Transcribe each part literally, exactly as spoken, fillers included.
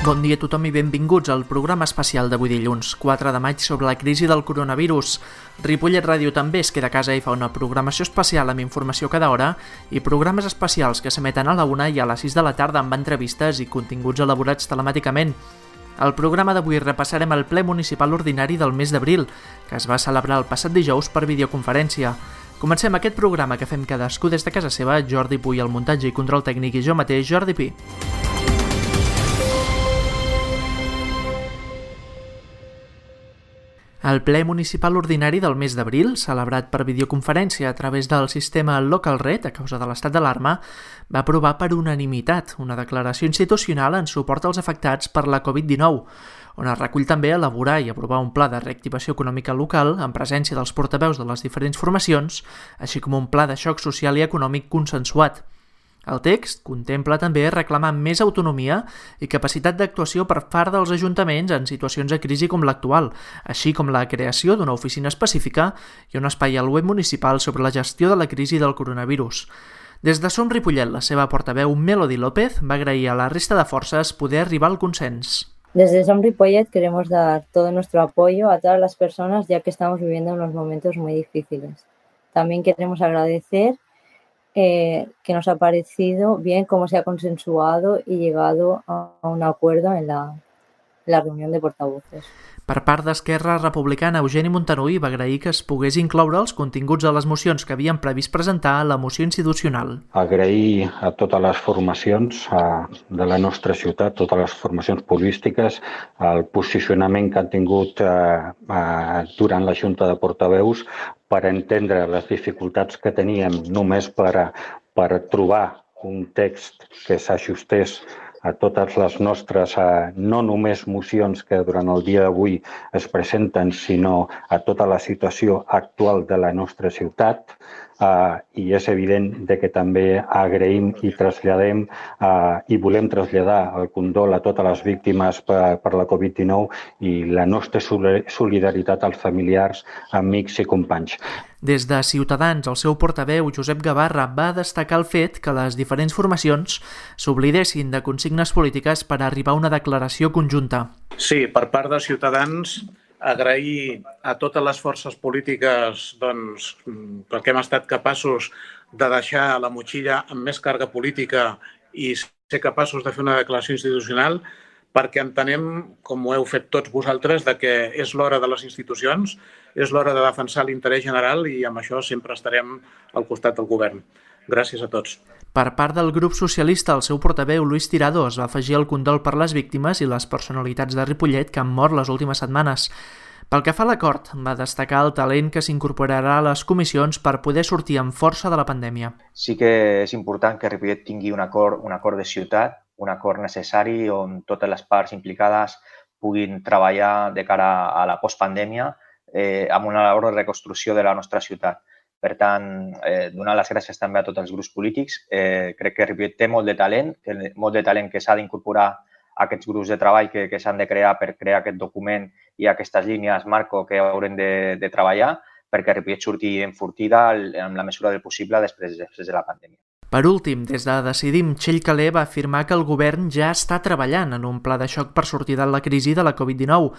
Bon dia a tothom i benvinguts al programa especial d'avui dilluns, quatre de maig, sobre la crisi del coronavirus. Ripollet Ràdio també es queda a casa i fa una programació especial amb informació cada hora i programes especials que s'emeten a la una i a les sis de la tarda amb entrevistes i continguts elaborats telemàticament. Al programa d'avui repassarem el ple municipal ordinari del mes d'abril, que es va celebrar el passat dijous per videoconferència. Comencem aquest programa que fem cadascú des de casa seva, Jordi Puy al muntatge i control tècnic i jo mateix, Jordi Pi. El ple municipal ordinari del mes d'abril, celebrat per videoconferència a través del sistema LocalRed a causa de l'estat d'alarma, va aprovar per unanimitat una declaració institucional en suport als afectats per la covid dinou, on es recull també elaborar i aprovar un pla de reactivació econòmica local en presència dels portaveus de les diferents formacions, així com un pla de xoc social i econòmic consensuat. El text contempla també reclamar més autonomia i capacitat d'actuació per part dels ajuntaments en situacions de crisi com l'actual, així com la creació d'una oficina específica i un espai al web municipal sobre la gestió de la crisi del coronavirus. Des de Som Ripollet, la seva portaveu Melody López va agrair a la resta de forces poder arribar al consens. Desde Som Ripollet queremos dar todo nuestro apoyo a todas las personas ya que estamos viviendo unos momentos muy difíciles. También queremos agradecer Eh, que nos ha parecido bien cómo se ha consensuado y llegado a un acuerdo en la, la reunión de portavoces. Per part d'Esquerra Republicana, Eugeni Montanui va agrair que es pogués incloure els continguts de les mocions que havien previst presentar a la moció institucional. Agrair a totes les formacions a, de la nostra ciutat, totes les formacions polítiques, el posicionament que han tingut eh, eh, durant la Junta de Portaveus per entendre les dificultats que teníem només per, per trobar un text que s'ajustés a totes les nostres, eh, no només mocions que durant el dia d'avui es presenten, sinó a tota la situació actual de la nostra ciutat. Eh, I és evident de que també agraïm i traslladem eh, i volem traslladar el condol a totes les víctimes per, per la covid dinou i la nostra solidaritat als familiars, amics i companys. Des de Ciutadans, el seu portaveu, Josep Gavarra, va destacar el fet que les diferents formacions s'oblidessin de consignes polítiques per arribar a una declaració conjunta. Sí, per part de Ciutadans, agrair a totes les forces polítiques doncs, perquè hem estat capaços de deixar la motxilla amb més càrrega política i ser capaços de fer una declaració institucional, perquè entenem, com ho heu fet tots vosaltres, de que és l'hora de les institucions, és l'hora de defensar l'interès general i amb això sempre estarem al costat del govern. Gràcies a tots. Per part del grup socialista, el seu portaveu, Luis Tirado, es va afegir el condol per les víctimes i les personalitats de Ripollet que han mort les últimes setmanes. Pel que fa a l'acord, va destacar el talent que s'incorporarà a les comissions per poder sortir amb força de la pandèmia. Sí que és important que Ripollet tingui un acord, un acord de ciutat, un acord necessari on totes les parts implicades puguin treballar de cara a la postpandèmia eh, amb una labor de reconstrucció de la nostra ciutat. Per tant, eh, donar les gràcies també a tots els grups polítics. Eh, crec que Ripollet té molt de talent, que, molt de talent que s'ha d'incorporar a aquests grups de treball que, que s'han de crear per crear aquest document i aquestes línies marco que haurem de, de treballar perquè Ripollet surti enfortida en la mesura del possible després, després de la pandèmia. Per últim, des de Decidim, Txell Calé va afirmar que el govern ja està treballant en un pla de xoc per sortir de la crisi de la covid dinou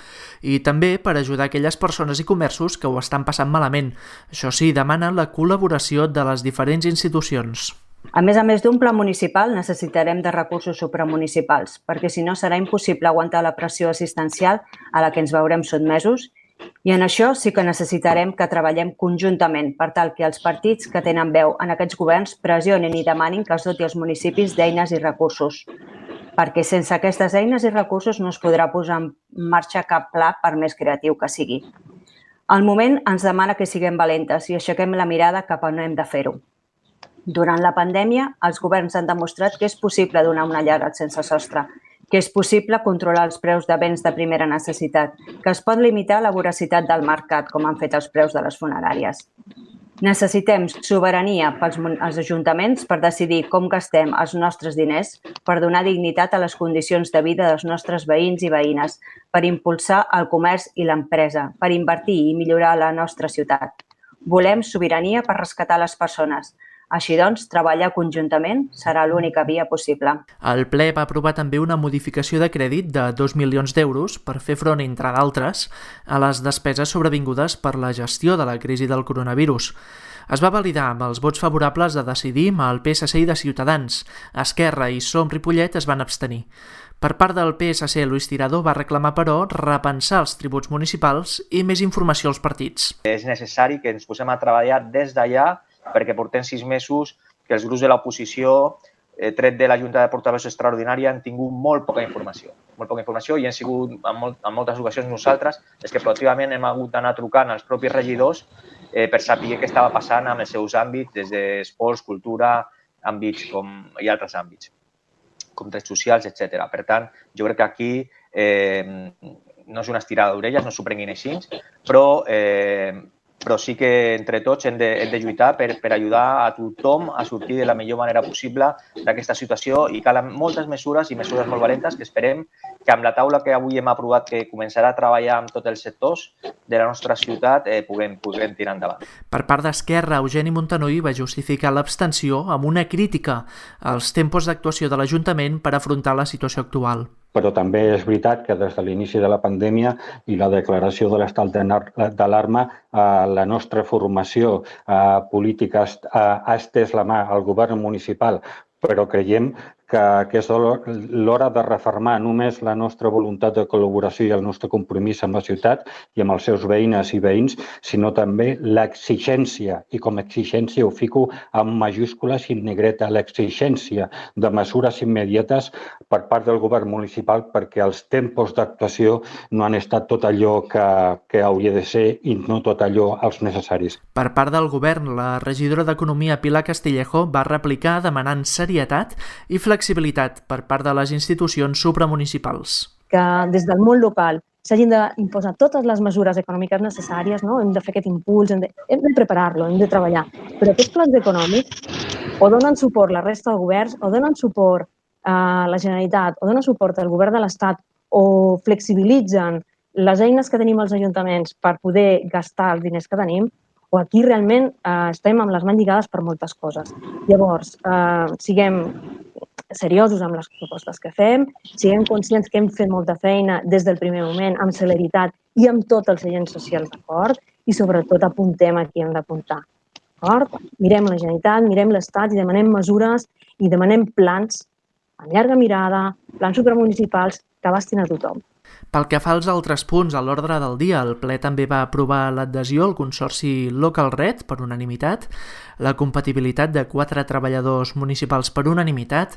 i també per ajudar aquelles persones i comerços que ho estan passant malament. Això sí, demana la col·laboració de les diferents institucions. A més a més d'un pla municipal, necessitarem de recursos supramunicipals, perquè si no serà impossible aguantar la pressió assistencial a la que ens veurem sotmesos. I en això sí que necessitarem que treballem conjuntament per tal que els partits que tenen veu en aquests governs pressionin i demanin que es doti els municipis d'eines i recursos. Perquè sense aquestes eines i recursos no es podrà posar en marxa cap pla per més creatiu que sigui. El moment ens demana que siguem valentes i aixequem la mirada cap a on hem de fer-ho. Durant la pandèmia, els governs han demostrat que és possible donar una llar als sense sostre, que és possible controlar els preus de béns de primera necessitat, que es pot limitar la voracitat del mercat, com han fet els preus de les funeràries. Necessitem sobirania pels als ajuntaments per decidir com gastem els nostres diners, per donar dignitat a les condicions de vida dels nostres veïns i veïnes, per impulsar el comerç i l'empresa, per invertir i millorar la nostra ciutat. Volem sobirania per rescatar les persones. Així doncs, treballar conjuntament serà l'única via possible. El ple va aprovar també una modificació de crèdit de dos milions d'euros per fer front, entre d'altres, a les despeses sobrevingudes per la gestió de la crisi del coronavirus. Es va validar amb els vots favorables de Decidim, el P S C i de Ciutadans. Esquerra i Som Ripollet es van abstenir. Per part del P S C, Luis Tirado va reclamar, però, repensar els tributs municipals i més informació als partits. És necessari que ens posem a treballar des d'allà perquè portem sis mesos que els grups de l'oposició, tret de la Junta de Portaveus extraordinària, han tingut molt poca informació. Molt poca informació i hem sigut en, molt, en moltes ocasions nosaltres és que proactivament hem hagut d'anar trucant als propis regidors eh, per saber què estava passant amb els seus àmbits, des d'esports, cultura, àmbits com, i altres àmbits, com drets socials, etcètera. Per tant, jo crec que aquí eh, no és una estirada d'orelles, no s'ho prenguin així, però eh, però sí que entre tots hem de, hem de lluitar per, per ajudar a tothom a sortir de la millor manera possible d'aquesta situació i calen moltes mesures i mesures molt valentes que esperem que amb la taula que avui hem aprovat que començarà a treballar amb tots els sectors de la nostra ciutat eh, puguem, puguem tirar endavant. Per part d'Esquerra, Eugeni Montanui va justificar l'abstenció amb una crítica als tempos d'actuació de l'Ajuntament per afrontar la situació actual. Però també és veritat que des de l'inici de la pandèmia i la declaració de l'estat d'alarma, la nostra formació política ha estès la mà al govern municipal, però creiem que, que és l'hora de refermar només la nostra voluntat de col·laboració i el nostre compromís amb la ciutat i amb els seus veïnes i veïns, sinó també l'exigència, i com a exigència ho fico amb majúscules i en negreta, l'exigència de mesures immediates per part del govern municipal perquè els tempos d'actuació no han estat tot allò que, que hauria de ser i no tot allò els necessaris. Per part del govern, la regidora d'Economia Pilar Castillejo va replicar demanant serietat i flexibilitat per part de les institucions supramunicipals. Que des del món local s'hagin d'imposar totes les mesures econòmiques necessàries, no? Hem de fer aquest impuls, hem de, hem de preparar-lo, hem de treballar. Però aquests plans econòmics o donen suport la resta de governs, o donen suport a la Generalitat, o donen suport al govern de l'Estat, o flexibilitzen les eines que tenim als ajuntaments per poder gastar els diners que tenim, o aquí realment eh, estem amb les mans lligades per moltes coses. Llavors, eh, siguem seriosos amb les propostes que fem, siguem conscients que hem fet molta feina des del primer moment, amb celeritat i amb tots els agents socials d'acord, i sobretot apuntem a qui hem d'apuntar. Mirem la Generalitat, mirem l'Estat i demanem mesures i demanem plans amb llarga mirada, plans supramunicipals que abastin a tothom. Pel que fa als altres punts a l'ordre del dia, el ple també va aprovar l'adhesió al Consorci Local Red per unanimitat, la compatibilitat de quatre treballadors municipals per unanimitat,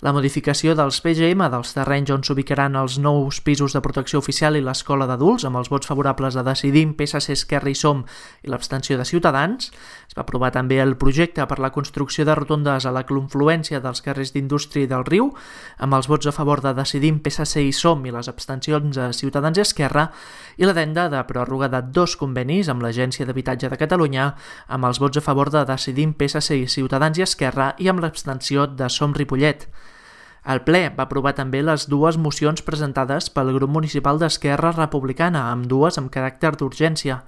la modificació dels P G M dels terrenys on s'ubicaran els nous pisos de protecció oficial i l'escola d'adults, amb els vots favorables de Decidim, P S C, Esquerra i Som i l'abstenció de Ciutadans. Es va aprovar també el projecte per la construcció de rotondes a la confluència dels carrers d'Indústria i del Riu, amb els vots a favor de Decidim, P S C i Som i les abstencions de Ciutadans i Esquerra, i l'addenda de pròrroga de dos convenis amb l'Agència d'Habitatge de Catalunya, amb els vots a favor de Decidim, P S C i Ciutadans i Esquerra i amb l'abstenció de Som Ripollet. El ple va aprovar també les dues mocions presentades pel grup municipal d'Esquerra Republicana, amb dues amb caràcter d'urgència.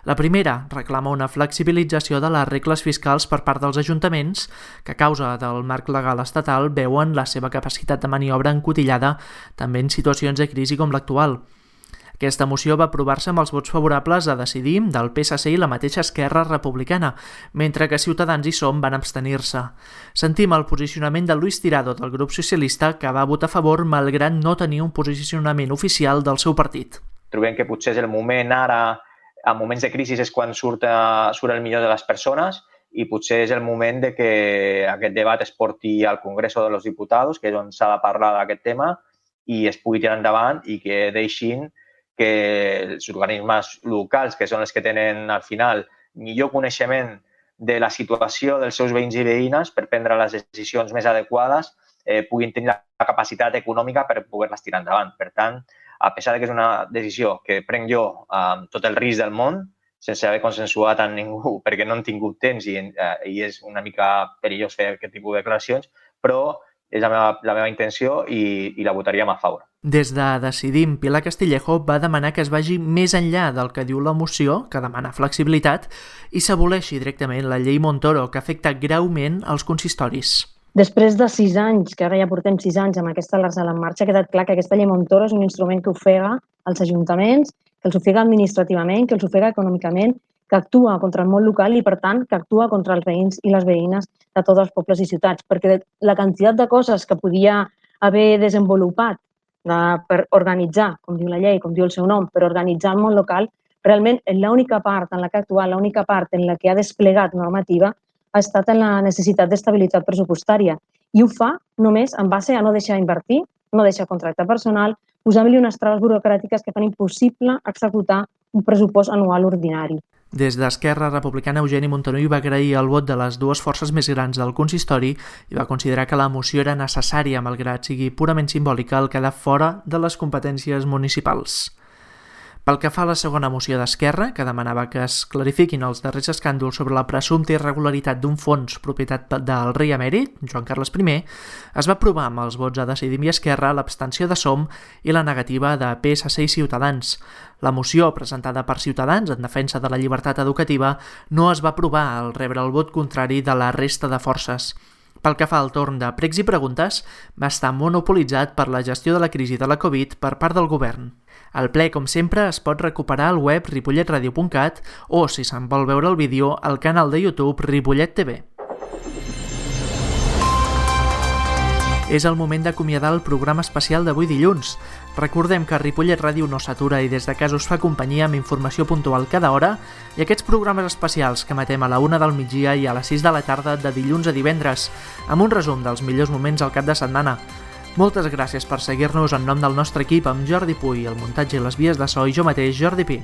La primera reclama una flexibilització de les regles fiscals per part dels ajuntaments que a causa del marc legal estatal veuen la seva capacitat de maniobra encotillada també en situacions de crisi com l'actual. Aquesta moció va aprovar-se amb els vots favorables a Decidim, del P S C i la mateixa Esquerra Republicana, mentre que Ciutadans i Som van abstenir-se. Sentim el posicionament de Luis Tirado, del grup socialista, que va votar a favor malgrat no tenir un posicionament oficial del seu partit. Trobem que potser és el moment ara, en moments de crisi és quan surt, surt el millor de les persones i potser és el moment de que aquest debat es porti al Congreso de los Diputados, que és on s'ha de parlar d'aquest tema, i es pugui tirar endavant i que deixin que els organismes locals, que són els que tenen al final millor coneixement de la situació dels seus veïns i veïnes per prendre les decisions més adequades, eh, puguin tenir la capacitat econòmica per poder-les tirar endavant. Per tant, a pesar que és una decisió que prenc jo amb tot el risc del món, sense haver consensuat amb ningú, perquè no han tingut temps i, eh, i és una mica perillós fer aquest tipus de declaracions, però és la meva, la meva intenció i, i la votaríem a favor. Des de Decidim, Pilar Castillejo va demanar que es vagi més enllà del que diu la moció, que demana flexibilitat, i s'aboleixi directament la llei Montoro, que afecta greument els consistoris. Després de sis anys, que ara ja portem sis anys amb aquesta L'Arsal en marxa, ha quedat clar que aquesta llei Montoro és un instrument que ofega els ajuntaments, que els ofega administrativament, que els ofega econòmicament, que actua contra el món local i, per tant, que actua contra els veïns i les veïnes de tots els pobles i ciutats, perquè la quantitat de coses que podia haver desenvolupat de, per organitzar, com diu la llei, com diu el seu nom, per organitzar el món local, realment l'única part en la que ha actuat, l'única part en la que ha desplegat normativa ha estat en la necessitat d'estabilitat pressupostària i ho fa només en base a no deixar invertir, no deixar contractar personal, posant-li unes traves burocràtiques que fan impossible executar un pressupost anual ordinari. Des d'Esquerra Republicana, Eugeni Montanui va agrair el vot de les dues forces més grans del consistori i va considerar que la moció era necessària, malgrat sigui purament simbòlica, el quedar fora de les competències municipals. Pel que fa a la segona moció d'Esquerra, que demanava que es clarifiquin els darrers escàndols sobre la presumpta irregularitat d'un fons propietat del rei emèrit, Joan Carles primer, es va aprovar amb els vots a Decidim i Esquerra l'abstenció de Som i la negativa de P S C i Ciutadans. La moció, presentada per Ciutadans en defensa de la llibertat educativa, no es va aprovar al rebre el vot contrari de la resta de forces. Pel que fa al torn de pregs i preguntes, va estar monopolitzat per la gestió de la crisi de la Covid per part del govern. El ple, com sempre, es pot recuperar al web ripollet radio punt cat o, si se'n vol veure el vídeo, al canal de YouTube Ripollet T V. És el moment d'acomiadar el programa especial d'avui dilluns. Recordem que Ripollet Ràdio no s'atura i des de casa us fa companyia amb informació puntual cada hora i aquests programes especials que emetem a la una del migdia i a les sis de la tarda de dilluns a divendres, amb un resum dels millors moments al cap de setmana. Moltes gràcies per seguir-nos en nom del nostre equip amb Jordi Puy, el muntatge i les vies de so i jo mateix, Jordi Pi.